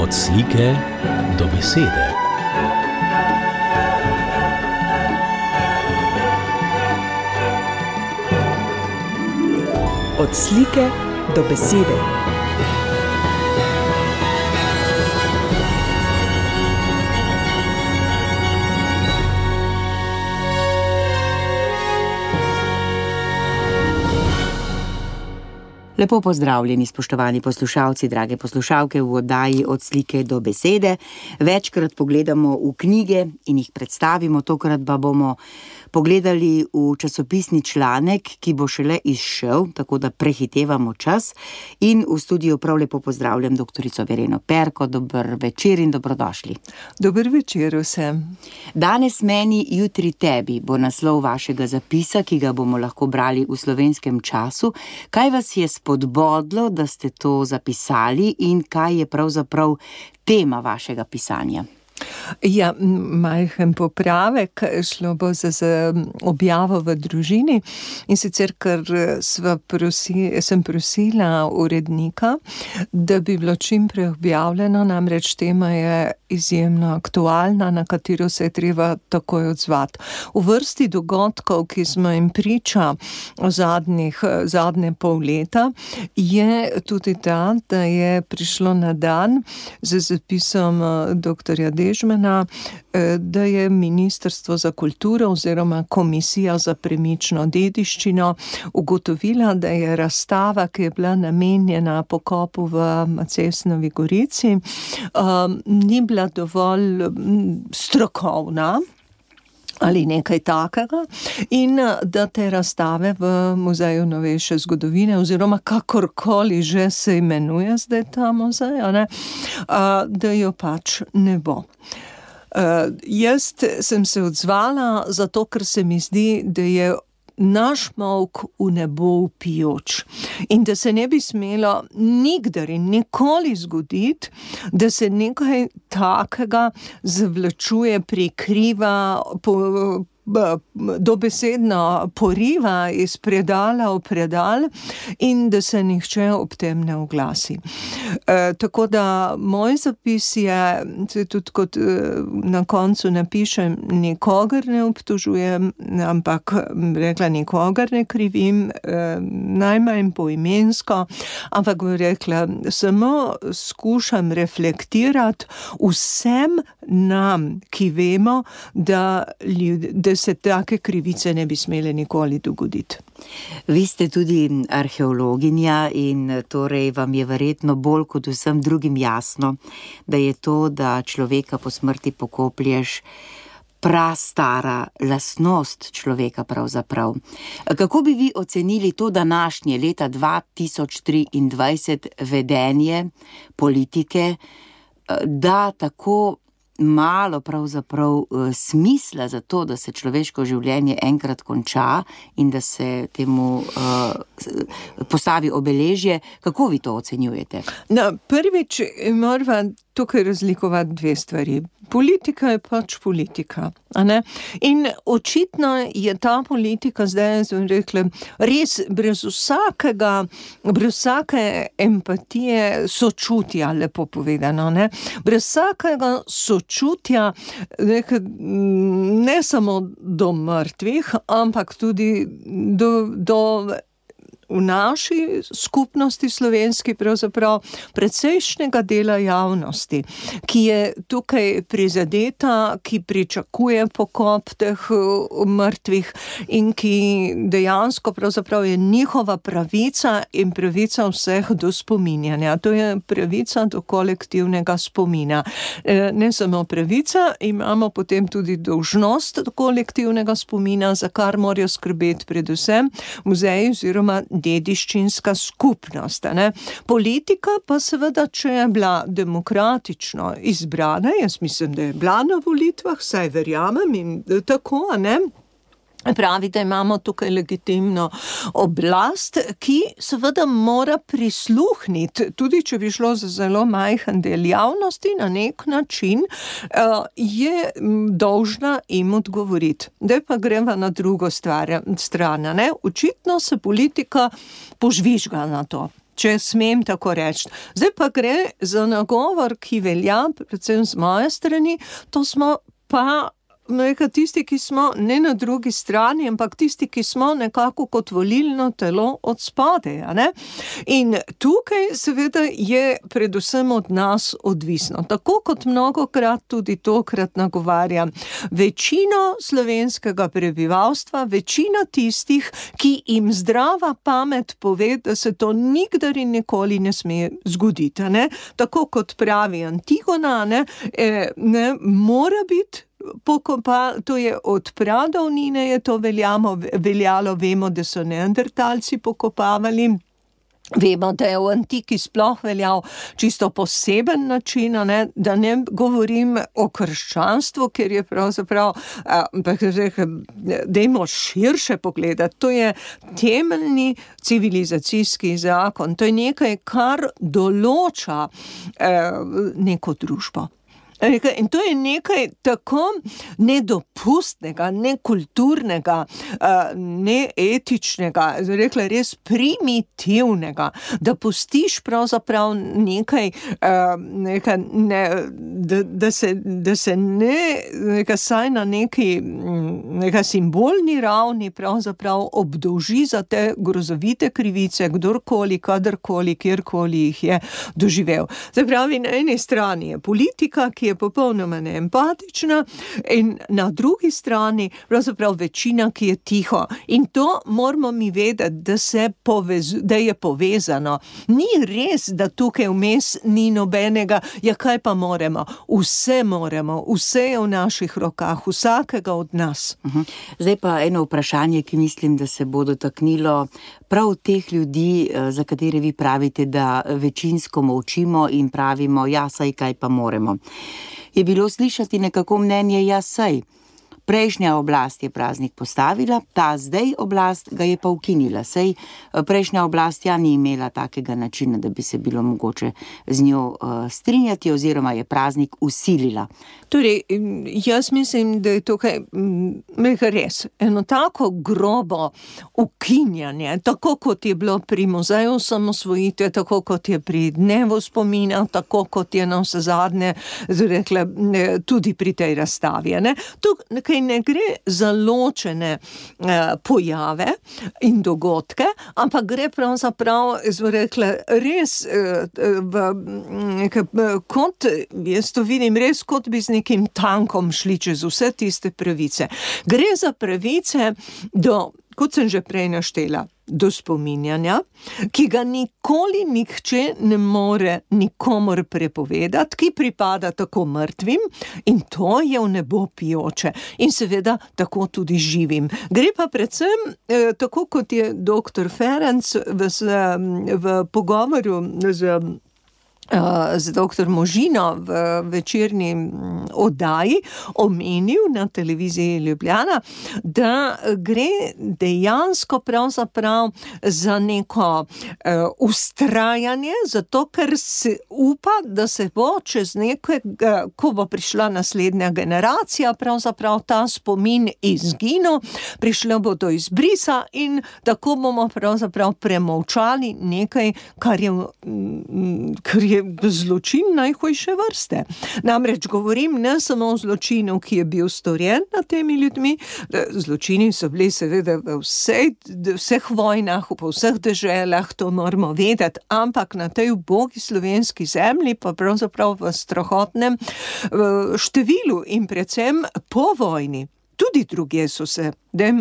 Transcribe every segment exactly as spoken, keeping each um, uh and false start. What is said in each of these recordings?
Od slike do besede. Od slike do besede. Lepo pozdravljeni, spoštovani poslušalci, drage poslušalke v oddaji Od slike do besede. Večkrat pogledamo v knjige in jih predstavimo, tokrat pa bomo pogledali v časopisni članek, ki bo šele izšel, tako da prehitevamo čas. In v studiu prav lepo pozdravljam doktorico Vereno Perko. Dober večer in dobrodošli. Dober večer vsem. Danes meni, jutri tebi bo naslov vašega zapisa, ki ga bomo lahko brali v Slovenskem času. Kaj vas je spodbodlo, da ste to zapisali in kaj je pravzaprav tema vašega pisanja? Ja, majhen popravek, šlo bo za, za objavo v družini in sicer, ker sva prosi, sem prosila urednika, da bi bilo čim prej objavljeno, namreč tema je izjemno aktualna, na katero se je treba takoj odzvati. V vrsti dogodkov, ki smo jim priča zadnjih, zadnje pol leta, je tudi ta, da je prišlo na dan z zapisom doktorja Dežmana, da je Ministrstvo za kulturo oziroma Komisija za premično dediščino ugotovila, da je razstava, ki je bila namenjena pokopu v Macesnovi Gorici, ni bila dovolj strokovna ali nekaj takega, in da te razstave v Muzeju novejše zgodovine oziroma kakorkoli že se imenuje zdaj ta muzej, ne, da jo pač ne bo. Uh, jaz sem se odzvala zato, ker se mi zdi, da je naš molk v nebo vpijoč in da se ne bi smelo nikdar in nikoli zgoditi, da se nekaj takega zavlačuje, prikriva, po, dobesedno poriva iz predala v predal in da se nihče ob tem ne oglasi. E, tako da moj zapis je, tudi kot na koncu napišem, nikogar ne obtožujem, ampak rekla, nikogar ne krivim, e, najmanj poimensko, ampak bi rekla, samo skušam reflektirati vsem nam, ki vemo, da, ljud, da se take krivice ne bi smele nikoli dogoditi. Vi ste tudi arheologinja in torej vam je verjetno bolj kot vsem drugim jasno, da je to, da človeka po smrti pokoplješ, prastara lastnost človeka pravzaprav. Kako bi vi ocenili to današnje leta dva tisoč triindvajset vedenje politike, da tako malo pravzaprav smisla za to, da se človeško življenje enkrat konča in da se temu uh, postavi obeležje? Kako vi to ocenjujete? No, prvič moramo tukaj razlikovati dve stvari. Politika je pač politika, a ne? In očitno je ta politika zdaj, sem rekla, res brez vsakega, brez vsake empatije, sočutja, lepo povedano, ne? Brez vsakega sočutja, ne samo do mrtvih, ampak tudi do, do v naši skupnosti slovenski pravzaprav precejšnjega dela javnosti, ki je tukaj prizadeta, ki pričakuje pokop teh mrtvih in ki dejansko pravzaprav je njihova pravica in pravica vseh do spominjanja. To je pravica do kolektivnega spomina. Ne samo pravica, imamo potem tudi dolžnost do kolektivnega spomina, za kar morajo skrbeti predvsem muzeji oziroma dediščinska skupnost. Ne? Politika pa seveda, če je bila demokratično izbrana, jaz mislim, da je bila na volitvah, saj verjamem in tako, ne? Pravi, da imamo tukaj legitimno oblast, ki seveda mora prisluhniti, tudi če bi šlo za zelo majhen del javnosti, na nek način je dolžna jim odgovoriti. Zdaj pa greva na drugo stvar, stran, ne? Očitno se politika požvižga na to. če smem tako reči. Zdaj pa gre za nagovor, ki velja, predvsem z moje strani, to smo pa nekaj tisti, ki smo ne na drugi strani, ampak tisti, ki smo nekako kot volilno telo od spodaj, a ne? In tukaj seveda je predvsem od nas odvisno. Tako kot mnogokrat tudi tokrat nagovarjam večino slovenskega prebivalstva, večina tistih, ki jim zdrava pamet pove, da se to nikdar in nikoli ne sme zgoditi, a ne? Tako kot pravi Antigona, ne, e, ne mora biti pokopa, to je od pradavnine je to veljamo, veljalo, vemo, da so neandertalci pokopavali. Vemo, da je v antiki sploh veljal čisto poseben način, ne, da ne govorim o krščanstvu, ker je pravzaprav, dajmo širše pogledati, to je temeljni civilizacijski zakon, to je nekaj, kar določa eh, neko družbo. In to je nekaj tako nedopustnega, nekulturnega, neetičnega, rekla res primitivnega, da pustiš pravzaprav nekaj, nekaj ne, da, da, se, da se ne, nekaj saj na neki nekaj simbolni ravni pravzaprav obdolži za te grozovite krivice, kdorkoli, kadarkoli, kjerkoli jih je doživel. Zdaj pravi, na eni strani je politika, ki je popolnoma neempatična, in na drugi strani pravzaprav večina, ki je tiho. In to moramo mi vedeti, da, se povez, da je povezano. Ni res, da tukaj vmes ni nobenega, ja kaj pa moremo? Vse moremo, vse je v naših rokah, vsakega od nas. Uh-huh. Zdaj pa eno vprašanje, ki mislim, da se bo dotaknilo prav teh ljudi, za katere vi pravite, da večinsko molčimo in pravimo, ja, saj kaj pa moremo. Je bilo slišati nekako mnenje, ja, saj. Prejšnja oblast je praznik postavila, ta zdaj oblast ga je pa ukinila. Sej prejšnja oblast ja ni imela takega načina, da bi se bilo mogoče z njo uh, strinjati, oziroma je praznik usilila. Torej, jaz mislim, da je tukaj nekaj res. Eno tako grobo ukinjanje, tako kot je bilo pri muzeju osamosvojitve, tako kot je pri dnevu spomina, tako kot je na vse zadnje, rekla, tudi pri tej razstavi. Ne? Tukaj ne gre za ločene eh, pojave in dogodke, ampak gre pravzaprav, rekla, res eh, v, nekaj, kot, jaz to vidim, res kot bi z nekim tankom šli čez vse tiste pravice. Gre za pravice do, kot sem že prej naštela, do spominjanja, ki ga nikoli nihče ne more nikomor prepovedati, ki pripada tako mrtvim, in to je v nebo pijoče. In seveda tako tudi živim. Gre pa predvsem, eh, tako kot je doktor Ferenc v, v pogovoru z z doktor Možino v večerni oddaji omenil na televiziji Ljubljana, da gre dejansko pravzaprav za neko uh, ustrajanje, zato ker se upa, da se bo čez nekaj, uh, ko bo prišla naslednja generacija, pravzaprav ta spomin izginil, prišlo bo do izbrisa in tako bomo pravzaprav premolčali nekaj, kar je, kar je zločin najhujše vrste. Namreč govorim ne samo o zločinu, ki je bil storjen nad temi ljudmi, zločini so bili seveda v vsej, vseh vojnah, po vseh deželah, to moramo vedeti, ampak na tej ubogi slovenski zemlji pa pravzaprav v strahotnem številu in predvsem po vojni. Tudi drugje so se,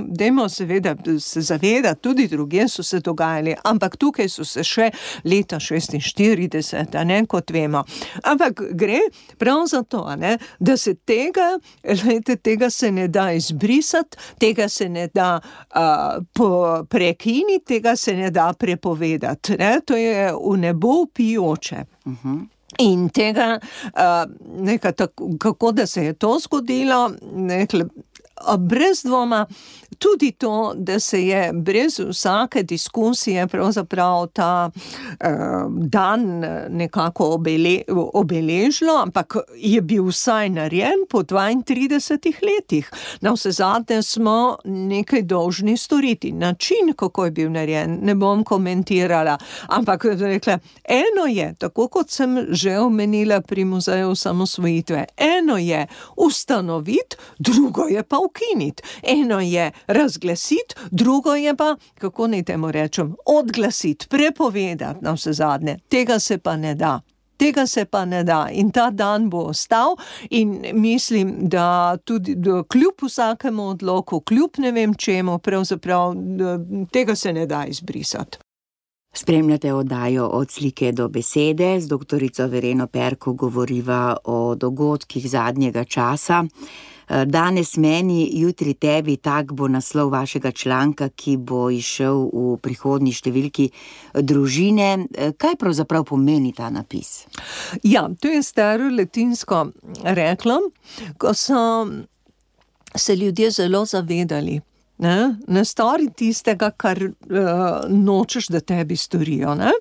dajmo seveda se zavedati, tudi drugje so se dogajali, ampak tukaj so se še leta šestinštirideset, ne, kot vemo. Ampak gre prav za to, ne, da se tega, lejte, tega se ne da izbrisati, tega se ne da uh, prekiniti, tega se ne da prepovedati. Ne, to je v nebo pijoče. Uh-huh. In tega, uh, nekaj, tako, kako da se je to zgodilo, nekaj, brez dvoma tudi to, da se je brez vsake diskusije pravzaprav ta eh, dan nekako obele, obeležilo, ampak je bil vsaj narejen po dvaintridesetih letih. Na vse zadnje smo nekaj dolžni storiti. Način, kako je bil narejen, ne bom komentirala, ampak rekla, eno je, tako kot sem že omenila pri Muzeju osamosvojitve, eno je ustanoviti, drugo je pa ukiniti. Eno je razglasiti, drugo je pa, kako naj temu rečem, odglasiti, prepovedati na vse zadnje. Tega se pa ne da. Tega se pa ne da in ta dan bo ostal in mislim, da tudi da kljub vsakemu odloku, kljub ne vem čemu, pravzaprav tega se ne da izbrisati. Spremljate oddajo Od slike do besede, z doktorico Vereno Perko govoriva o dogodkih zadnjega časa. Danes meni, jutri tebi, tak bo naslov vašega članka, ki bo izšel v prihodnji številki Družine. Kaj pravzaprav pomeni ta napis? Ja, to je staro latinsko reklo, ko so se ljudje zelo zavedali. Ne, ne stori tistega, kar uh, nočeš, da tebi storijo. Ne?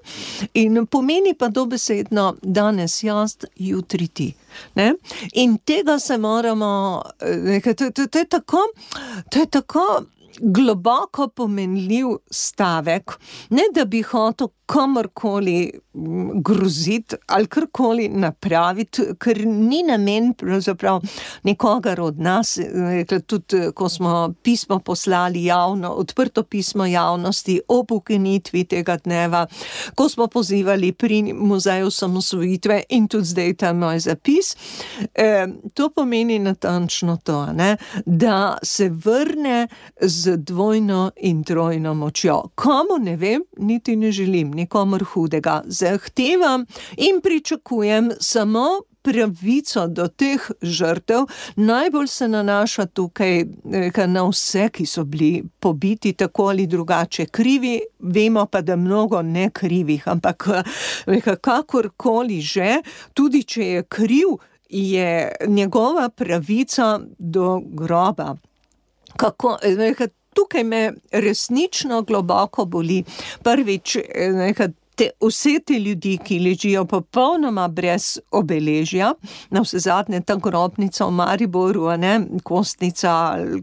In pomeni pa dobesedno danes jaz, jutri ti. Ne? In tega se moramo, nekaj, to, to, to je tako, to je tako globoko pomenljiv stavek, ne da bi hotel komorkoli groziti ali karkoli napraviti, ker ni namen pravzaprav nikogar od nas, tudi ko smo pismo poslali javno, odprto pismo javnosti ob ukinitvi tega dneva, ko smo pozivali pri Muzeju osamosvojitve in tudi zdaj ta moj zapis, eh, to pomeni natančno to, ne? Da se vrne z dvojno in trojno močjo. Komu ne vem, niti ne želim, nikomor hudega. Zahtevam in pričakujem samo pravico do teh žrtev. Najbolj se nanaša tukaj na vse, ki so bili pobiti tako ali drugače krivi, vemo pa, da mnogo ne krivih, ampak kakorkoli že, tudi če je kriv, je njegova pravica do groba. Kako, tukaj me resnično globoko boli. Prvič, te, vse te ljudi, ki ležijo popolnoma brez obeležja, na vse zadnje ta grobnica v Mariboru, ne, kostnica,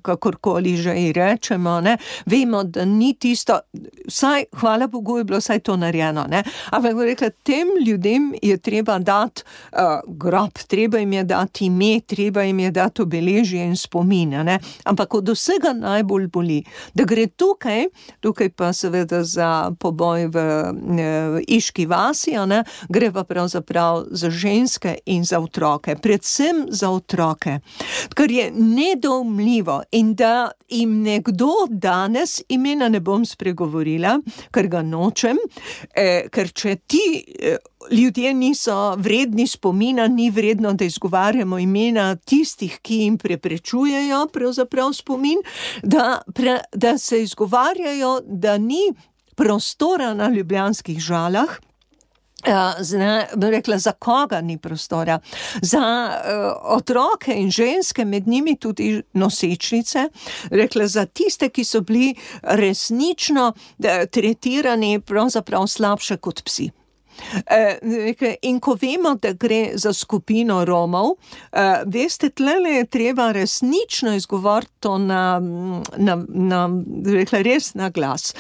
kakorkoli že ji rečemo, ne, vemo, da ni tisto, vsaj, hvala Bogu, je bilo vsaj to narejeno, ne, ampak rekla, tem ljudem je treba dati uh, grob, treba jim je dati ime, treba jim je dati obeležje in spomin, ne, ampak od vsega najbolj boli, da gre tukaj, tukaj pa seveda za poboj v ne, v Iški vasi, ne, gre pa pravzaprav za ženske in za otroke, predvsem za otroke, kar je nedoumljivo in da jim nekdo danes, imena ne bom spregovorila, ker ga nočem, eh, ker če ti eh, ljudje niso vredni spomina, ni vredno, da izgovarjamo imena tistih, ki jim preprečujejo pravzaprav spomin, da, pre, da se izgovarjajo, da ni prostora na ljubljanskih Žalah. Zna, rekla, za koga ni prostora? Za uh, otroke in ženske, med njimi tudi nosečnice, rekla, za tiste, ki so bili resnično uh, tretirani pravzaprav slabše kot psi. In ko vemo, da gre za skupino Romov, veste, tlele je treba resnično izgovoriti to na, na, na rekla, res na glas.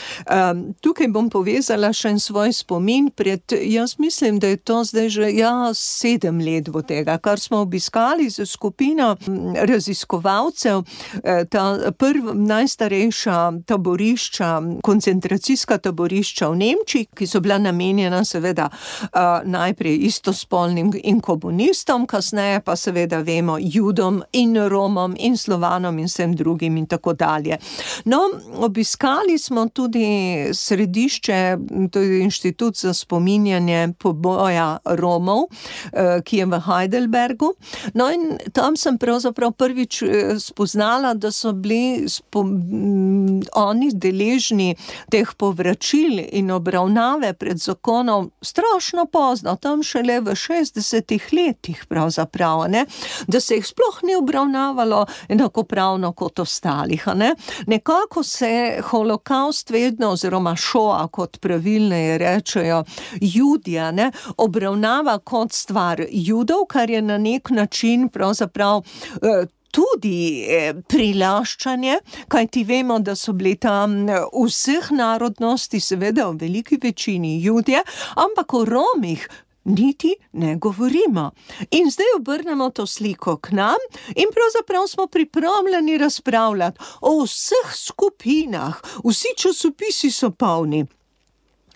Tukaj bom povezala še en svoj spomin pred, jaz mislim, da je to zdaj že ja, sedem let bo tega, kar smo obiskali z skupino raziskovalcev, ta prva, najstarejša taborišča, koncentracijska taborišča v Nemčiji, ki so bila namenjena seveda Uh, najprej istospolnim in komunistom, kasneje pa seveda vemo Judom in Romom in Slovanom in vsem drugim in tako dalje. No, obiskali smo tudi središče, to je Inštitut za spominjanje poboja Romov, uh, ki je v Heidelbergu. No in tam sem pravzaprav prvič spoznala, da so bili spo- oni deležni teh povračil in obravnave pred zakonom strašno pozno, tam šele v šestdesetih letih pravzaprav, ne, da se jih sploh ni obravnavalo enakopravno kot ostalih, ne. Nekako se holokaust vedno, oziroma šoa, kot pravilneje rečejo Judija, ne, obravnava kot stvar Judov, kar je na nek način pravzaprav eh, tudi prilaščanje, kajti vemo, da so bili tam vseh narodnosti, seveda v veliki večini Judje, ampak o Romih niti ne govorimo. In zdaj obrnemo to sliko k nam in pravzaprav smo pripravljeni razpravljati o vseh skupinah, vsi časopisi so polni.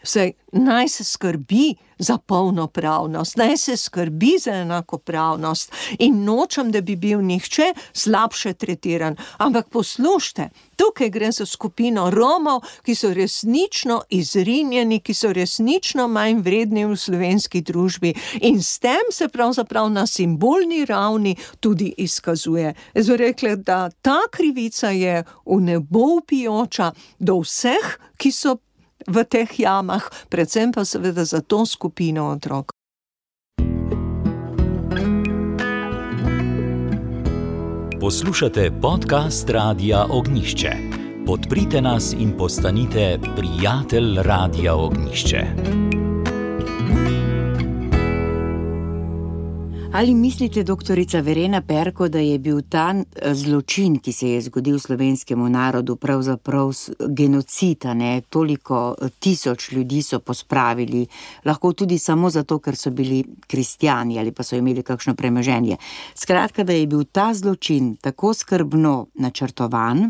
Saj, naj se skrbi za polnopravnost, naj se skrbi za enakopravnost in nočem, da bi bil nihče slabše tretiran. Ampak poslušajte, tukaj gre za skupino Romov, ki so resnično izrinjeni, ki so resnično manj vredni v slovenski družbi in s tem se pravzaprav na simbolni ravni tudi izkazuje. Jaz bi rekla, da ta krivica je v nebo vpijoča do vseh, ki so v teh jamah, predvsem pa seveda za to skupino otrok. Poslušate podcast Radia Ognjišče. Podprite nas in postanite prijatelj Radia Ognjišče. Ali mislite, doktorica Verena Perko, da je bil ta zločin, ki se je zgodil slovenskemu narodu, pravzaprav genocid, ne? Toliko tisoč ljudi so pospravili, lahko tudi samo zato, ker so bili kristjani ali pa so imeli kakšno premoženje. Skratka, da je bil ta zločin tako skrbno načrtovan,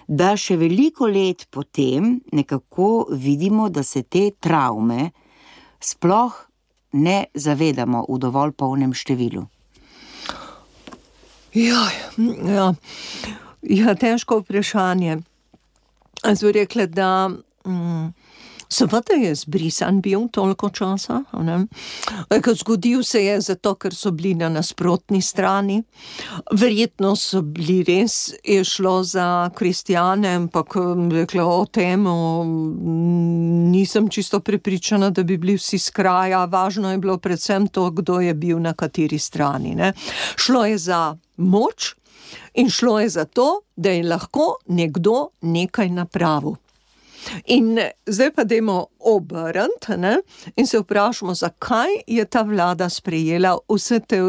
da še veliko let potem nekako vidimo, da se te travme sploh ne zavedamo v dovolj polnem številu. Ja, ja, ja, težko vprašanje. Jaz bi rekla, da mm, seveda je zbrisan bil toliko časa, ne? Zgodil se je zato, ker so bili na nasprotni strani. Verjetno so bili res, je šlo za kristjane, ampak rekla, o tem nisem čisto prepričana, da bi bili vsi s kraja. Važno je bilo predvsem to, kdo je bil na kateri strani, ne? Šlo je za moč in šlo je za to, da je lahko nekdo nekaj napravil. In zdaj pa dajmo obrniti, ne, in se vprašamo, zakaj je ta vlada sprejela vse te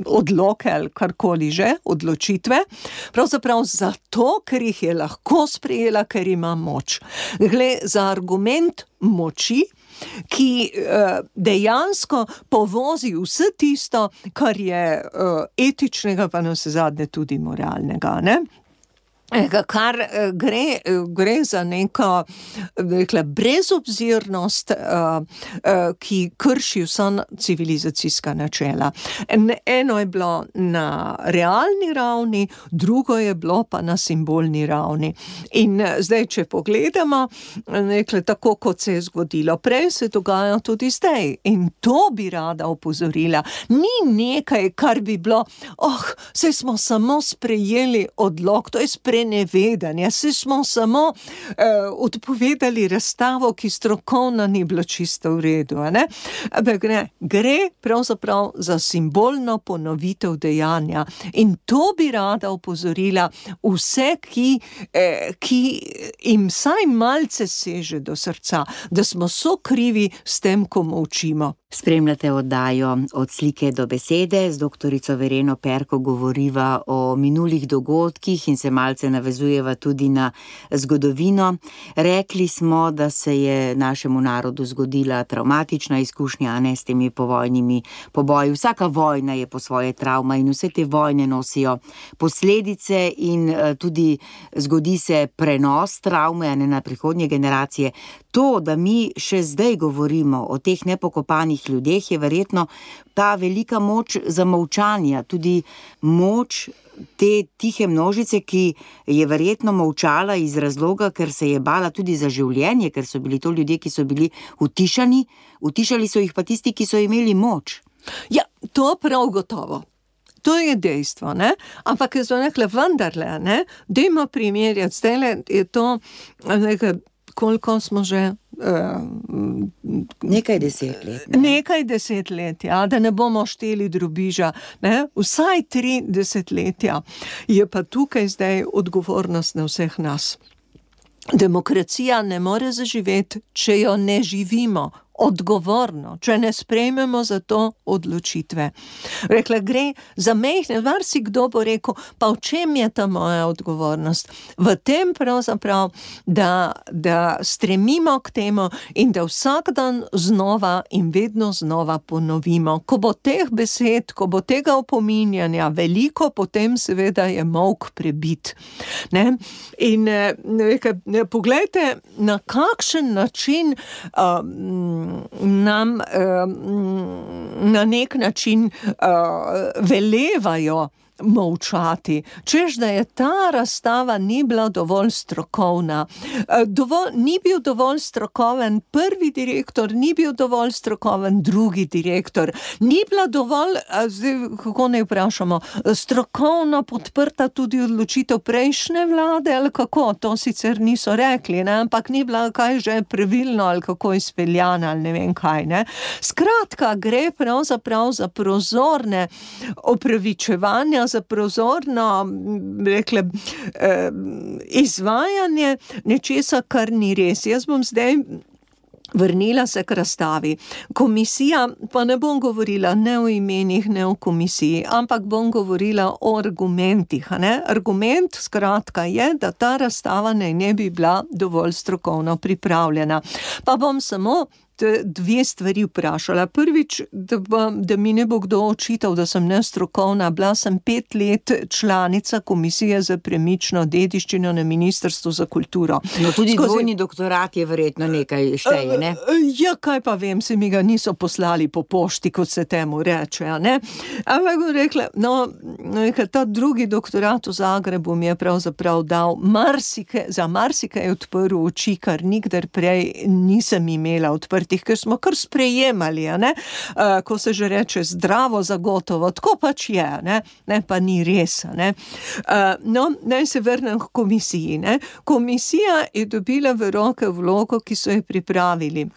odloke ali karkoli že, odločitve, pravzaprav zato, ker jih je lahko sprejela, ker ima moč. Gle, za argument moči, ki uh, dejansko povozi vse tisto, kar je uh, etičnega, pa navsezadnje tudi moralnega, ne? Kar gre, gre za neko, rekla, brezobzirnost, ki krši vsa civilizacijska načela. Eno je bilo na realni ravni, drugo je bilo pa na simbolni ravni. In zdaj, če pogledamo, rekla, tako kot se je zgodilo prej, se dogaja tudi zdaj. In to bi rada opozorila. Ni nekaj, kar bi bilo, oh, saj smo samo sprejeli odlok, to je sprejeli nevedanje, se smo samo uh, odpovedali razstavo, ki strokovno ni bilo čisto v redu, ne? Ampak ne, gre pravzaprav za simbolno ponovitev dejanja in to bi rada opozorila vse, ki, eh, ki jim vsaj malce seže do srca, da smo sokrivi s tem, ko molčimo. Spremljate oddajo Od slike do besede, z doktorico Vereno Perko govoriva o minulih dogodkih in se malce navezujeva tudi na zgodovino. Rekli smo, da se je našemu narodu zgodila travmatična izkušnja, ne, s temi povojnimi poboji. Vsaka vojna je po svoje travma in vse te vojne nosijo posledice in tudi zgodi se prenos travme, ne, na prihodnje generacije. To, da mi še zdaj govorimo o teh nepokopanih ljudeh, je verjetno ta velika moč zamolčanja, tudi moč te tihe množice, ki je verjetno molčala iz razloga, ker se je bala tudi za življenje, ker so bili to ljudje, ki so bili utišani, utišali so jih pa tisti, ki so imeli moč. Ja, to prav gotovo. To je dejstvo, ne? Ampak jaz bom rekla, vendarle, ne? Dajmo primerjati, zdajle je to, nekaj, koliko smo že... Uh, nekaj deset let. Ne? Nekaj deset let, ja, da ne bomo šteli drobiža, ne? Vsaj tri desetletja. Je pa tukaj zdaj odgovornost na vseh nas. Demokracija ne more zaživeti, če jo ne živimo odgovorno, če ne sprejmemo za to odločitve. Rekla, gre za mehne, var si kdo bo rekel, pa v čem je ta moja odgovornost? V tem pravzaprav, da, da stremimo k temu in da vsak dan znova in vedno znova ponovimo. Ko bo teh besed, ko bo tega opominjanja veliko, potem seveda je molk prebit. Ne? In nekaj, ne, poglejte, na kakšen način um, nam uh, na nek način uh, velevajo molčati, češ da je ta razstava ni bila dovolj strokovna. Dovolj, ni bil dovolj strokoven prvi direktor, ni bil dovolj strokoven drugi direktor, ni bila dovolj, zdaj, kako ne vprašamo, strokovno podprta tudi odločitev prejšnje vlade, ali kako, to sicer niso rekli, ne? Ampak ni bila kaj že pravilno, ali kako izpeljana, ali ne vem kaj. Ne? Skratka, gre pravzaprav za prozorne opravičevanja, za prozorno, rekle, eh, izvajanje nečesa, kar ni res. Jaz bom zdaj vrnila se k razstavi. Komisija, pa ne bom govorila ne o imenih, ne o komisiji, ampak bom govorila o argumentih. Ne? Argument, skratka, je, da ta razstava naj ne bi bila dovolj strokovno pripravljena. Pa bom samo dve stvari vprašala. Prvič, da, da mi ne bo kdo očital, da sem nestrokovna. Bila sem pet let članica Komisije za premično dediščino na Ministrstvu za kulturo. No, tudi Skozi... dvojni doktorat je verjetno nekaj šteje, ne? Ja, kaj pa vem, se mi ga niso poslali po pošti, kot se temu reče, ne? Ampak bom rekla, no, ta drugi doktorat v Zagrebu mi je pravzaprav dal marsike, za marsike je odprl oči, kar nikdar prej nisem imela odprti, ker smo kar sprejemali, ne? Uh, ko se že reče zdravo zagotovo, tako pač je, ne, ne pa ni res. Ne? Uh, no, naj se vrnem k komisiji. Ne? Komisija je dobila v roke vlogo, ki so jo pripravili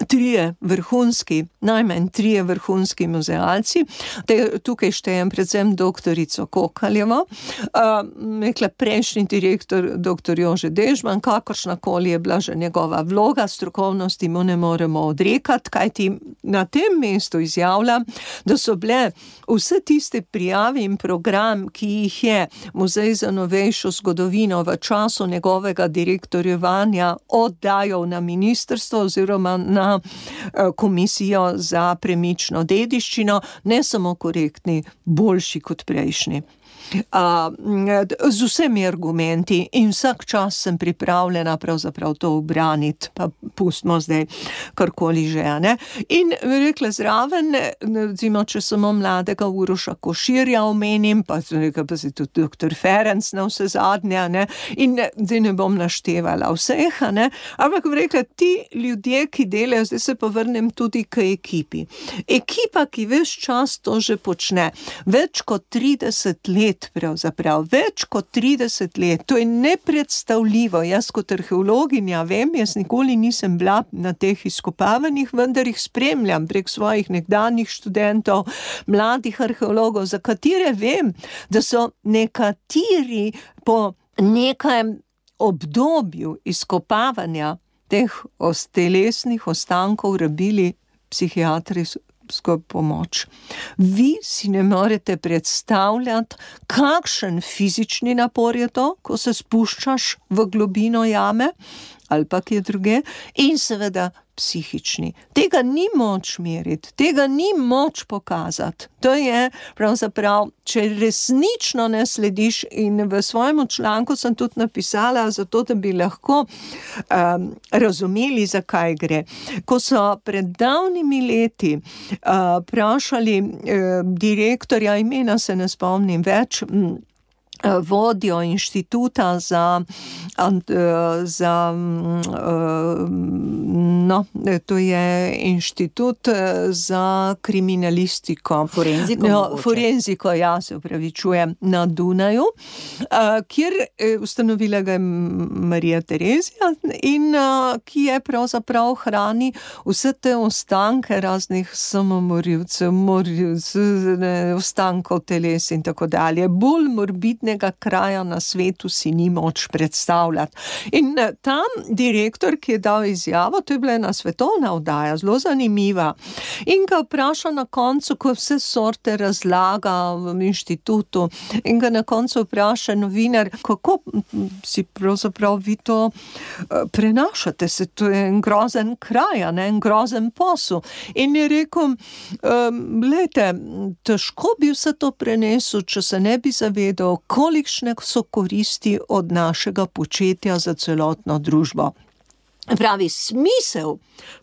trije vrhunski, najmanj trije vrhunski muzealci, te, tukaj štejem predvsem doktorico Kokaljevo, uh, prejšnji direktor doktor Jože Dežman, kakršnakoli je bila že njegova vloga, strokovnosti mu ne moremo odrekati, kajti na tem mestu izjavlja, da so bile vse tiste prijave in program, ki jih je Muzej za novejšo zgodovino v času njegovega direktorjevanja oddajal na ministrstvo oziroma na Komisijo za premično dediščino, ne samo korektni, boljši kot prejšnji. Uh, z vsemi argumenti in vsak čas sem pripravljena pravzaprav to obraniti, pa pustimo zdaj karkoli že, ne. In rekla zraven, recimo, če samo mladega Uroša Koširja omenim, pa, pa si tudi doktor Ferenc na vse zadnje, ne, in zdaj ne bom naštevala vseh, ne, ampak rekla, ti ljudje, ki delajo, zdaj se pa vrnem tudi k ekipi. Ekipa, ki ves čas to že počne, več kot trideset let pravzaprav, več kot trideset let, to je nepredstavljivo. Jaz kot arheologinja vem, jaz nikoli nisem bila na teh izkopavanjih, vendar jih spremljam prek svojih nekdanjih študentov, mladih arheologov, za katere vem, da so nekateri po nekem obdobju izkopavanja teh telesnih ostankov rabili psihiatrijsko pomoč. Vi si ne morete predstavljati, kakšen fizični napor je to, ko se spuščaš v globino jame ali pa kje druge, in seveda psihični. Tega ni moč meriti, tega ni moč pokazati. To je pravzaprav, če resnično ne slediš, in v svojem članku sem tudi napisala, zato da bi lahko um, razumeli, zakaj gre. Ko so pred davnimi leti uh, vprašali uh, direktorja, imena se ne spomnim več, um, vodjo inštituta za, za no, to je inštitut za kriminalistiko. Forenziko? No, forenziko, ja, se upravičujem, na Dunaju, kjer ustanovila ga je Marija Terezija in ki je pravzaprav hrani vse te ostanke raznih samomorilcev, morilcev, ostankov teles in tako dalje. Bolj morbidne kraja na svetu si ni moč predstavljati. In tam direktor, ki je dal izjavo, to je bila ena svetovna oddaja, zelo zanimiva, in ga vpraša na koncu, ko vse sorte razlaga v inštitutu, in ga na koncu vpraša novinar, kako si pravzaprav vi to prenašate, se to je en grozen kraj, ne, en grozen posel. In je rekel, glejte, težko bi vse to prenesel, če se ne bi zavedal, kolikšne so koristi od našega početja za celotno družbo. Pravi, smisel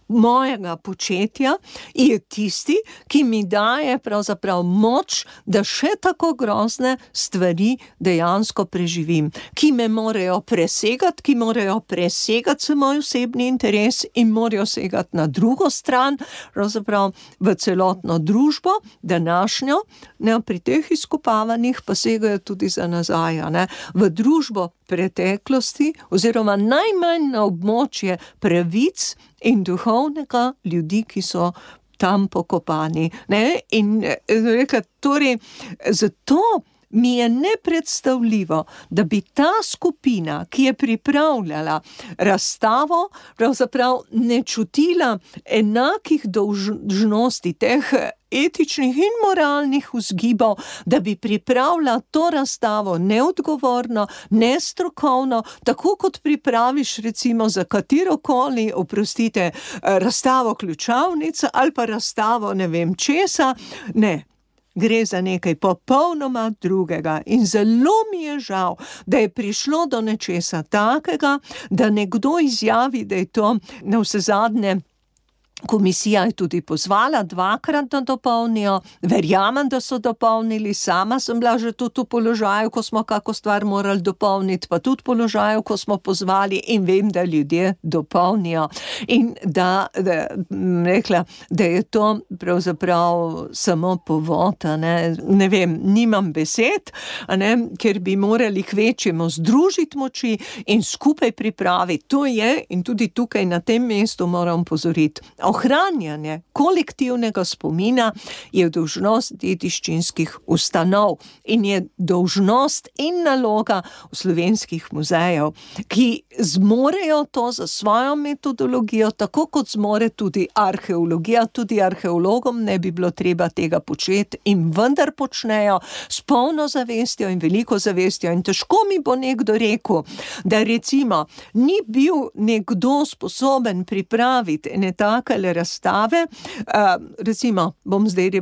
mojega početja je tisti, ki mi daje pravzaprav moč, da še tako grozne stvari dejansko preživim, ki me morajo presegati, ki morajo presegati se moj osebni interes in morajo segati na drugo stran, pravzaprav v celotno družbo, današnjo, ne, pri teh izkopavanjih pa segajo tudi za nazaj, ne, v družbo preteklosti oziroma najmanj na območje pravic in duhovnega ljudi, ki so tam pokopani. Ne? In reka, torej, zato mi je nepredstavljivo, da bi ta skupina, ki je pripravljala razstavo, pravzaprav ne čutila enakih dolžnosti teh etičnih in moralnih vzgibov, da bi pripravila to razstavo neodgovorno, nestrokovno, tako kot pripraviš recimo za katerokoli, oprostite, razstavo ključavnic ali pa razstavo ne vem česa, ne. Gre za nekaj popolnoma drugega in zelo mi je žal, da je prišlo do nečesa takega, da nekdo izjavi, da je to navsezadnje. Komisija je tudi pozvala dvakrat, da dopolnijo. Verjamem, da so dopolnili. Sama sem bila že tudi v položaju, ko smo kako stvar morali dopolniti, pa tudi v položaju, ko smo pozvali in vem, da ljudje dopolnijo. In da, da, rekla, da je to pravzaprav samo povod, ne, ne vem, nimam besed, ne, ker bi morali kvečjemu združiti moči in skupaj pripraviti. To je, in tudi tukaj na tem mestu moram pozoriti, ohranjanje kolektivnega spomina je dolžnost dediščinskih ustanov in je dolžnost in naloga v slovenskih muzejev, ki zmorejo to za svojo metodologijo, tako kot zmore tudi arheologija. Tudi arheologom ne bi bilo treba tega početi in vendar počnejo s polno zavestjo in veliko zavestjo. In težko mi bo nekdo rekel, da recimo ni bil nekdo sposoben pripraviti ene take razstave, recimo, bom zdaj,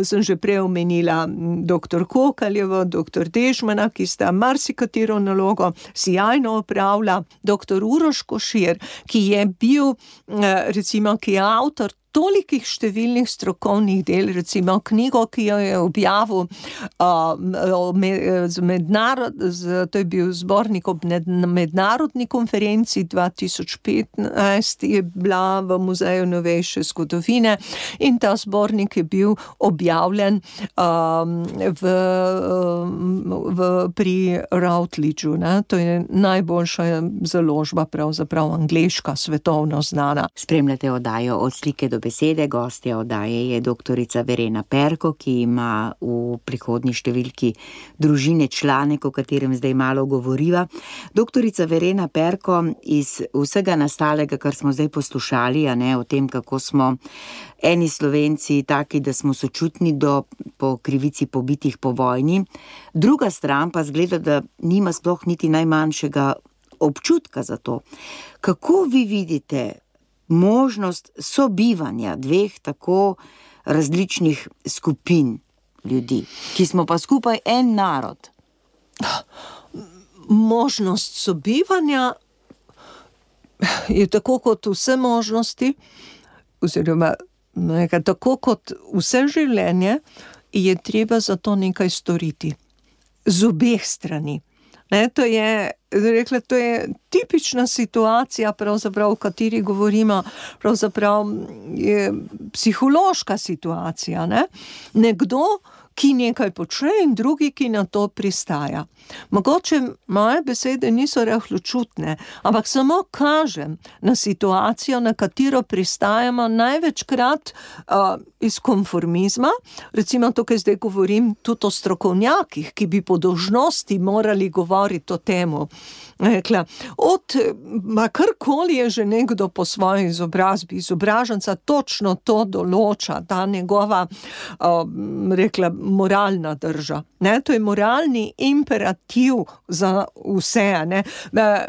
sem že prej omenila doktor Kokaljevo, doktor Dežmana, ki sta marsikatero nalogo sijajno opravila, doktor Uroš Košir, ki je bil, recimo, ki je avtor tolikih številnih strokovnih del, recimo knjigo, ki jo je objavil uh, med, mednarod, z, to je bil zbornik ob mednarodni konferenci dva tisoč petnajst, je bila v Muzeju novejše zgodovine in ta zbornik je bil objavljen um, v, v, pri Routledgeu, ne? To je najboljša založba, pravzaprav angleška, svetovno znana. Spremljate oddajo Od slike do besede. Gostja oddaje je doktorica Verena Perko, ki ima v prihodnji številki Družine članek, o katerem zdaj malo govoriva. Doktorica Verena Perko, iz vsega nastalega, kar smo zdaj poslušali, a ne, o tem, kako smo eni Slovenci taki, da smo sočutni do po krivici pobitih po vojni, druga stran pa zgleda, da nima sploh niti najmanjšega občutka za to. Kako vi vidite možnost sobivanja dveh tako različnih skupin ljudi, ki smo pa skupaj en narod? Možnost sobivanja je tako kot vse možnosti, oziroma tako kot vse življenje, je treba za to nekaj storiti. z obeh strani. Ne, to je, rekla, to je tipična situacija, pravzaprav, o kateri govorimo, pravzaprav je psihološka situacija, ne? Nekdo, ki nekaj počne in drugi, ki na to pristaja. Mogoče moje besede niso rahločutne, ampak samo kažem na situacijo, na katero pristajamo največkrat uh, iz konformizma. Recimo tukaj zdaj govorim tudi o strokovnjakih, ki bi po dolžnosti morali govoriti o temu. Rekla, od, ma karkoli je že nekdo po svoji izobrazbi, izobraženca točno to določa, ta njegova, uh, rekla, moralna drža. Ne? To je moralni imperativ za vse. Ne?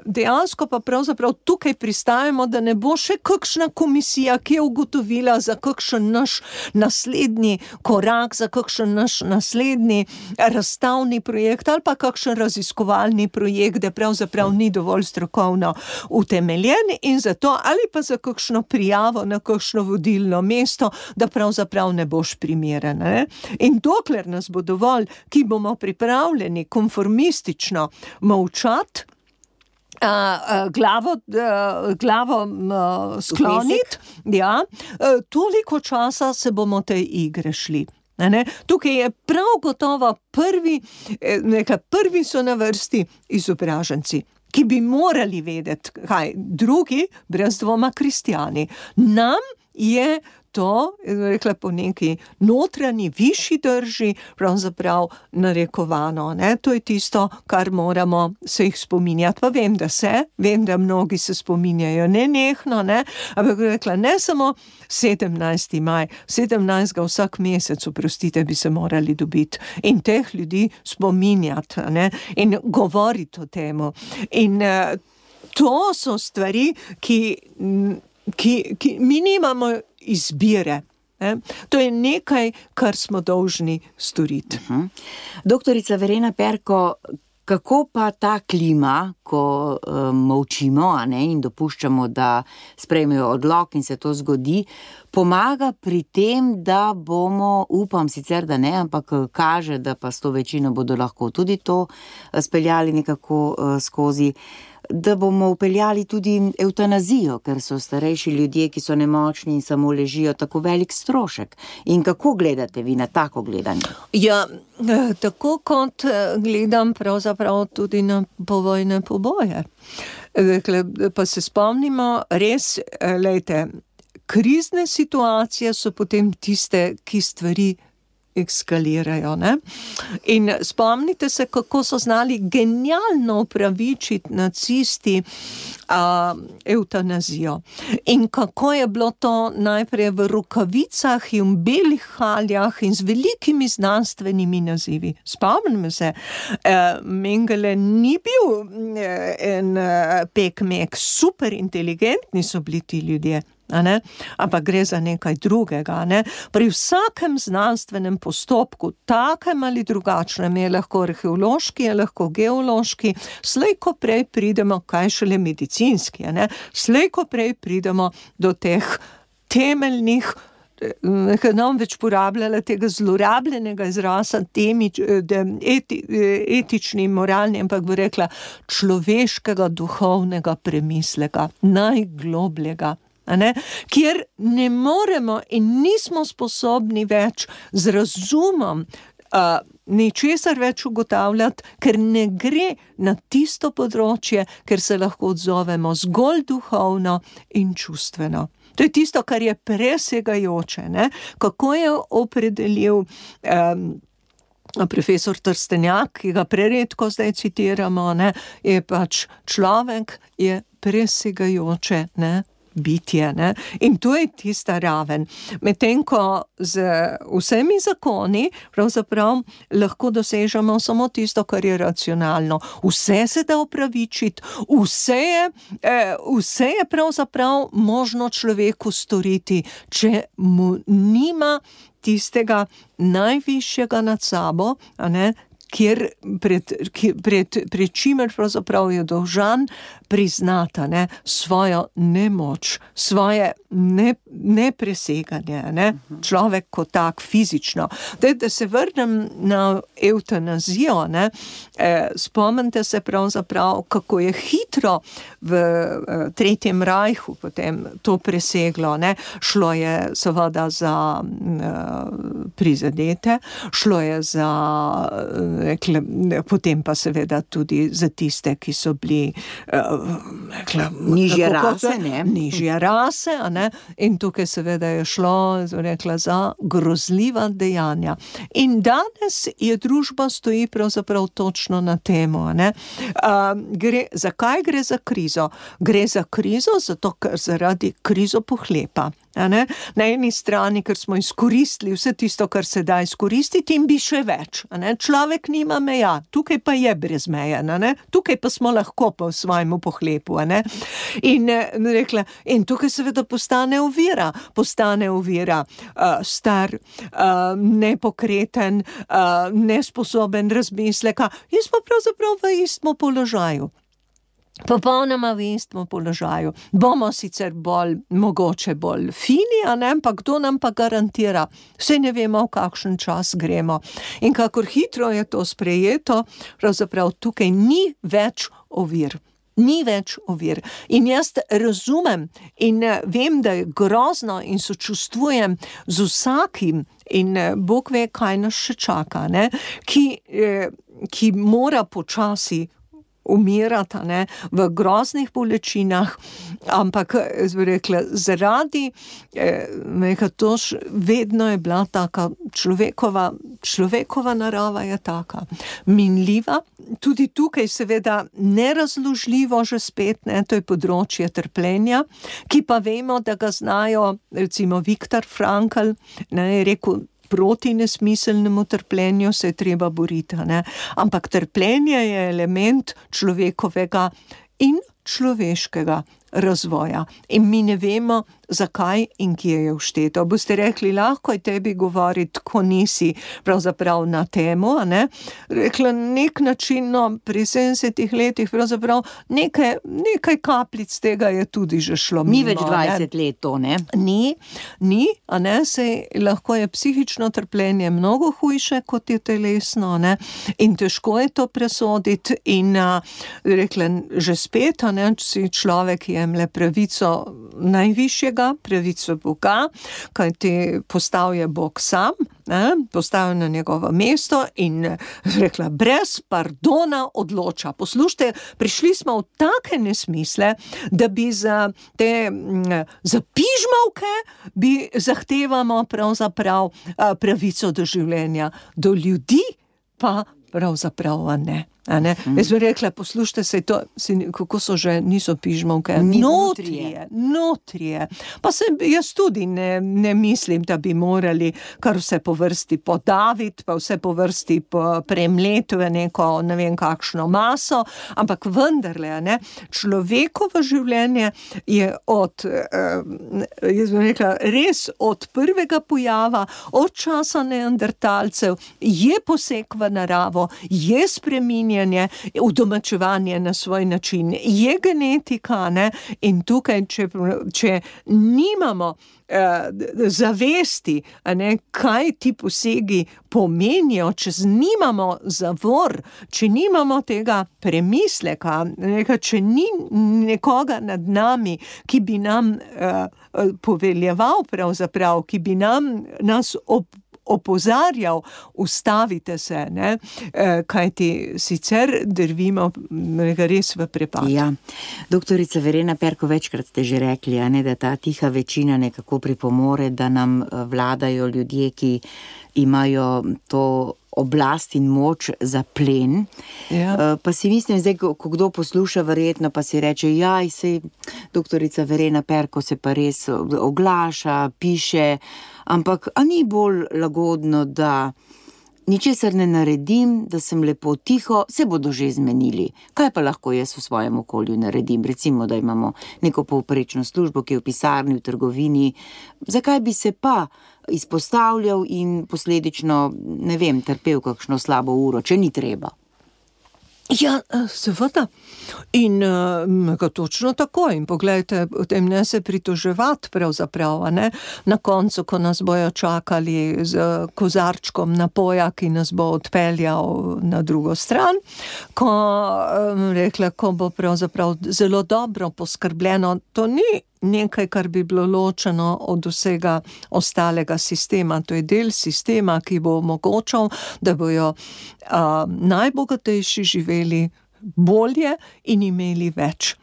Dejansko pa pravzaprav tukaj pristajamo, da ne bo še kakšna komisija, ki je ugotovila za kakšen naš naslednji korak, za kakšen naš naslednji razstavni projekt ali pa kakšen raziskovalni projekt, da pravzaprav ni dovolj strokovno utemeljen in zato ali pa za kakšno prijavo na kakšno vodilno mesto, da pravzaprav ne boš primeren. Ne? In dokler nas bo dovolj, ki bomo pripravljeni konformistično molčati, Uh, uh, glavo, uh, glavo uh, skloniti, ja, uh, toliko časa se bomo tej igre šli. Ne? Tukaj je prav gotovo prvi, nekaj, prvi so na vrsti izobraženci, ki bi morali vedeti, kaj drugi, brez dvoma kristjani. Nam je to, rekla, po neki notranji, višji drži, pravzaprav narekovano. Ne? To je tisto, kar moramo se jih spominjati. Pa vem, da se, vem, da mnogi se spominjajo nenehno, ne? Ampak rekla, ne samo sedemnajsti maj, sedemnajstega vsak mesec, oprostite, bi se morali dobiti in teh ljudi spominjati, ne? In govoriti o temu. In uh, to so stvari, ki, ki, ki mi nimamo izbire. Ne? To je nekaj, kar smo dolžni storiti. Uh-huh. Doktorica Verena Perko, kako pa ta klima, ko um, molčimo, a ne, in dopuščamo, da sprejmejo odlok in se to zgodi, pomaga pri tem, da bomo, upam sicer, da ne, ampak kaže, da pa s to večino bodo lahko tudi to speljali nekako uh, skozi, da bomo upeljali tudi evtanazijo, ker so starejši ljudje, ki so nemočni in samo ležijo, tako velik strošek. In kako gledate vi na tako gledanje? Ja, tako kot gledam pravzaprav tudi na povojne poboje. Pa se spomnimo, res, lejte, krizne situacije so potem tiste, ki stvari ekskalirajo, ne? In spomnite se, kako so znali genialno upravičiti nacisti a, eutanazijo. In kako je bilo to najprej v rokavicah in belih haljah in z velikimi znanstvenimi nazivi. Spomnimo se, e, Mengele ni bil en pekmek, super inteligentni so bili ti ljudje. Ne? Ampak gre za nekaj drugega. Ne? Pri vsakem znanstvenem postopku, takem ali drugačnem, je lahko arheološki, je lahko geološki, slej ko prej pridemo, kaj šele medicinski, ne? Slej ko prej pridemo do teh temeljnih, nekaj nam več porabljala tega zlorabljenega izraza, temi, eti, etični in moralni, ampak bi rekla človeškega duhovnega premisleka, najglobljega. Ne? Kjer ne moremo in nismo sposobni več z razumom uh, ničesar več ugotavljati, ker ne gre na tisto področje, ker se lahko odzovemo zgolj duhovno in čustveno. To je tisto, kar je presegajoče. Ne? Kako je opredelil um, profesor Trstenjak, ki ga preredko zdaj citiramo, ne? Je pač človek je presegajoče, ne? Bitje, ne? In to je tista raven. Medtem ko z vsemi zakoni pravzaprav lahko dosežemo samo tisto, kar je racionalno. Vse se da opravičiti, vse je, eh, vse je pravzaprav možno človeku storiti, če mu nima tistega najvišjega nad sabo, a ne, kjer pred, pred, pred čimer pravzaprav je dolžan priznata, ne, svojo nemoč, svoje ne, nepreseganje, ne, človek kot tak fizično. Da, da se vrnem na evtanazijo, ne, eh, spomnite se pravzaprav, kako je hitro v eh, Tretjem rajhu potem to preseglo, ne, šlo je seveda za eh, prizadete, šlo je za, rekle, potem pa seveda tudi za tiste, ki so bili rekla, nižje rase, ne? Nižje rase, a ne? In tukaj seveda je šlo, rekla, za grozljiva dejanja. In danes je družba stoji pravzaprav točno na temo, a ne? A, gre, zakaj gre za krizo? Gre za krizo, zato ker zaradi krizo pohlepa. A ne? Na eni strani, ker smo izkoristili vse tisto, kar se da izkoristiti in bi še več. A ne? Človek nima meja, tukaj pa je brez meja, a ne? Tukaj pa smo lahko pa v svojemu pohlepu. A ne? In, rekla, in tukaj seveda postane ovira, postane ovira uh, star, uh, nepokreten, uh, nesposoben razmisleka in smo pravzaprav v istem položaju. Popolnoma v istem položaju. Bomo sicer bolj, mogoče bolj fini, a ne, ampak kdo nam pa garantira? Vse ne vemo, v kakšen čas gremo. In kakor hitro je to sprejeto, pravzaprav tukaj ni več ovir. Ni več ovir. In jaz razumem in vem, da je grozno in sočustvujem z vsakim in Bog ve, kaj nas še čaka, ne, ki, ki mora počasi umirata, ne, v groznih bolečinah, ampak, bi rekla, zaradi eh, neka to š, vedno je bila taka človekova, človekova narava je taka, minljiva, tudi tukaj seveda nerazložljivo že spet, ne, to je področje trpljenja, ki pa vemo, da ga znajo, recimo Viktor Frankl, ne, je rekel, proti nesmiselnemu trpljenju se je treba boriti, ne? Ampak trpljenje je element človekovega in človeškega razvoja. In mi ne vemo, zakaj in kje je všteto. Boste rekli, lahko je tebi govoriti, ko nisi pravzaprav na temo, a ne? Rekla, nek način, no, pri sedemdesetih letih pravzaprav nekaj, nekaj kapljic tega je tudi že šlo mimo. Ni več dvajset let to, ne? Ni, ni, a ne, se lahko je psihično trpljenje mnogo hujše, kot je telesno, ne? In težko je to presoditi in, a, rekla, že spet, a ne, če si človek jemlje pravico najvišjega, pravico Boga, kajti postal je Bog sam, ne, postal na njegovo mesto in rekla, brez pardona odloča. Poslušajte, prišli smo v take nesmisle, da bi za te, za pižmavke bi zahtevamo pravzaprav pravico do življenja, do ljudi pa pravzaprav ne. A ne? Mm. Jaz bi rekla, poslušajte se, to, kako so že, niso pižmovke, notrije, notrije. Pa se jaz tudi ne, ne mislim, da bi morali kar vse po vrsti podaviti, pa vse po vrsti premleti v neko, ne vem kakšno maso, ampak vendarle, ne, človekovo življenje je od, jaz bi rekla, res od prvega pojava, od časa neandertalcev, je poseg v naravo, je spreminjanje, udomačevanje na svoj način, je genetika, ne? In tukaj, če, če nimamo eh, zavesti, a ne, kaj ti posegi pomenijo, če nimamo zavor, če nimamo tega premisleka, neka, če ni nekoga nad nami, ki bi nam eh, poveljeval pravzaprav, ki bi nam nas op opozarjal, ustavite se, ne, kajti sicer drvimo res v prepad. Ja, doktorica Verena Perko, večkrat ste že rekli, a ne, da ta tiha večina nekako pripomore, da nam vladajo ljudje, ki imajo to oblast in moč za plen. Ja. Pa si mislim, zdaj, ko, ko kdo posluša verjetno, pa si reče, jaj, sej doktorica Verena Perko se pa res oglaša, piše, ampak a ni bolj lagodno, da ničesar ne naredim, da sem lepo tiho, se bodo že zmenili. Kaj pa lahko jaz v svojem okolju naredim? Recimo, da imamo neko povprečno službo, ki je v pisarni, v trgovini. Zakaj bi se pa izpostavljal in posledično, ne vem, trpel kakšno slabo uro, če ni treba? Ja, seveda. In uh, točno tako. In poglejte, o tem ne se pritoževati pravzaprav, ne? Na koncu, ko nas bojo čakali z kozarčkom napoja, ki nas bo odpeljal na drugo stran, ko, um, rekla, ko bo pravzaprav zelo dobro poskrbljeno, to ni nekaj, kar bi bilo ločeno od vsega ostalega sistema. To je del sistema, ki bo omogočal, da bojo a, najbogatejši živeli bolje in imeli več.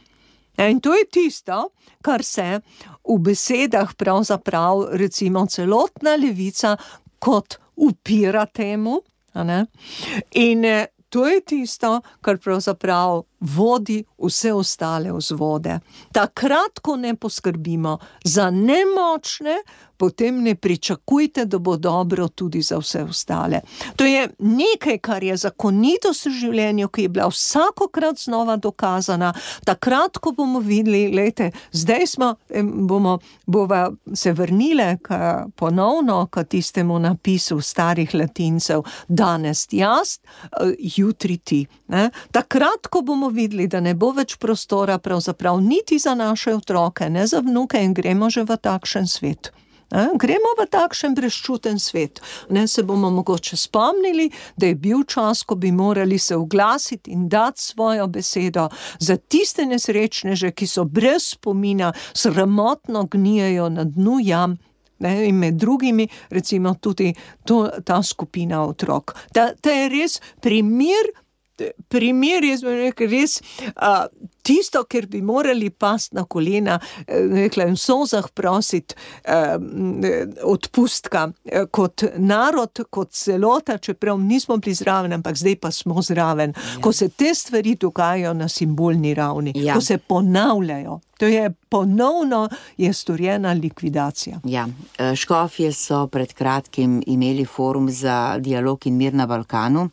In to je tisto, kar se v besedah pravzaprav recimo celotna levica kot upira temu, a ne? In to je tisto, kar pravzaprav vodi vse ostale vzvode. Takrat, ko ne poskrbimo za nemočne, potem ne pričakujte, da bo dobro tudi za vse ostale. To je nekaj, kar je zakonitost v življenju, ki je bila vsakokrat znova dokazana. Takrat, ko bomo videli, lejte, zdaj smo, bomo bova se vrnile k, ponovno k tistemu napisu starih Latincev, danes jaz, jutri ti. Ne? Takrat, ko bomo videli, da ne bo več prostora pravzaprav niti za naše otroke, ne za vnuke in gremo že v takšen svet. Ne? Gremo v takšen brezčuten svet. Ne, se bomo mogoče spomnili, da je bil čas, ko bi morali se oglasiti in dati svojo besedo za tiste nesrečneže, ki so brez spomina, sramotno gnijejo na dnu jam. Ne, in med drugimi recimo tudi to, ta skupina otrok. Ta, ta je res primer, primer, jaz bi rekel, res a, tisto, ker bi morali pasti na kolena, rekla, in v solzah prositi a, odpustka kot narod, kot celota, čeprav nismo bili zraven, ampak zdaj pa smo zraven. Ja. Ko se te stvari dogajajo na simbolni ravni, ja. Ko se ponavljajo. To je ponovno je storjena likvidacija. Ja, škofje so pred kratkim imeli forum za dialog in mir na Balkanu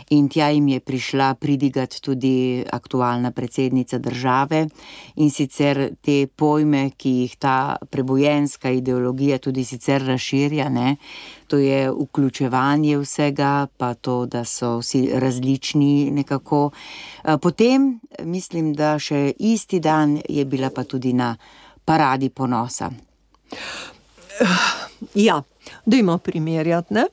in tja jim je prišla pridigat tudi aktualna predsednica države in sicer te pojme, ki jih ta prebojenska ideologija tudi sicer razširja, ne? To je vključevanje vsega, pa to, da so vsi različni nekako. Potem, mislim, da še isti dan je bila pa tudi na paradi ponosa. Ja, dajmo primerjati, ne?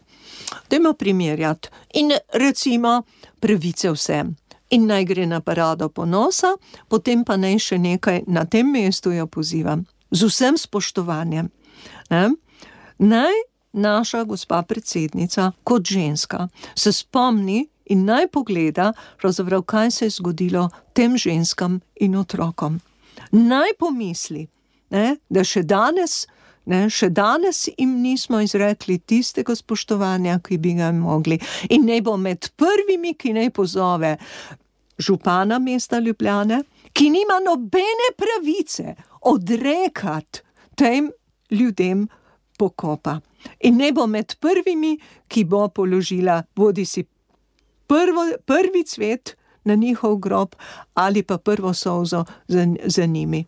Dajmo primerjati. In recimo pravice vsem. In naj gre na parado ponosa, potem pa naj še nekaj na tem mestu jo pozivam. Z vsem spoštovanjem. Ne? Naj naša gospa predsednica kot ženska se spomni in naj pogleda, pravzaprav, kaj se je zgodilo tem ženskam in otrokom. Naj pomisli, ne, da še danes, ne, še danes jim nismo izrekli tistega spoštovanja, ki bi ga mogli. In naj bo med prvimi, ki naj pozove župana mesta Ljubljane, ki nima nobene pravice odrekati tem ljudem pokopa. In ne bo med prvimi, ki bo položila bodisi prvo, prvi cvet na njihov grob ali pa prvo solzo za, za njimi.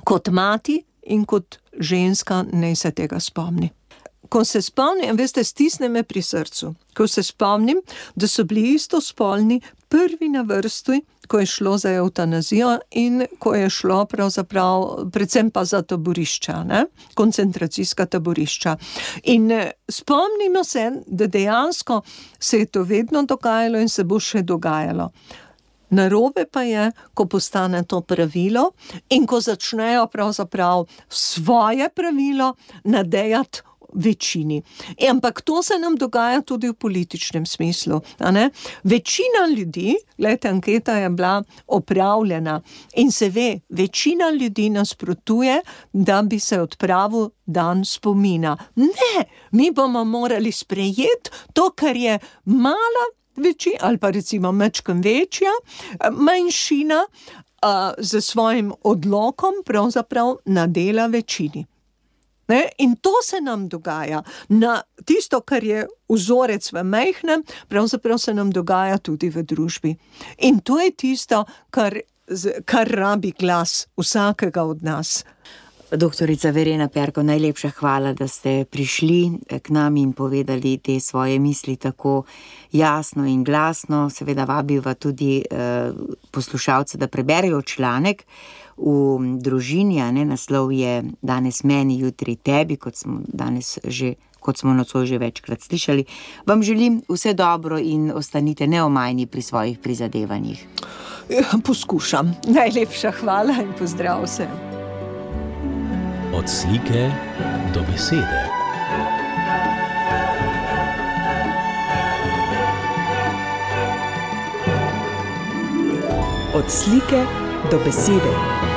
Kot mati in kot ženska naj se tega spomni. Ko se spomnim, veste, stisne me pri srcu, ko se spomnim, da so bili istospolni prvi na vrsti, ko je šlo za evtanazijo in ko je šlo pravzaprav predvsem pa za taborišča, ne? Koncentracijska taborišča. In spomnimo se, da dejansko se je to vedno dogajalo in se bo še dogajalo. Narobe pa je, ko postane to pravilo in ko začnejo pravzaprav svoje pravilo nadejati večini. E, ampak to se nam dogaja tudi v političnem smislu. A ne? Večina ljudi, gledajte, anketa je bila opravljena in se ve, večina ljudi nasprotuje, da bi se odpravil dan spomina. Ne, mi bomo morali sprejeti to, kar je mala večina, ali pa recimo mečkem večja, manjšina uh, z svojim odlokom pravzaprav nadela večini. Ne? In to se nam dogaja. Na tisto, kar je vzorec v majhnem, pravzaprav se nam dogaja tudi v družbi. In to je tisto, kar, kar rabi glas vsakega od nas. Doktorica Verena Perko, najlepša hvala, da ste prišli k nam in povedali te svoje misli tako jasno in glasno. Seveda vabiva tudi eh, poslušalce, da preberejo članek v Družini, a ne, naslov je Danes meni, jutri tebi, kot smo danes že, kot smo nocoj že večkrat slišali. Vam želim vse dobro in ostanite neomajni pri svojih prizadevanjih. Poskušam. Najlepša hvala in pozdrav vsem. Od slike do besede. Od slike do besede.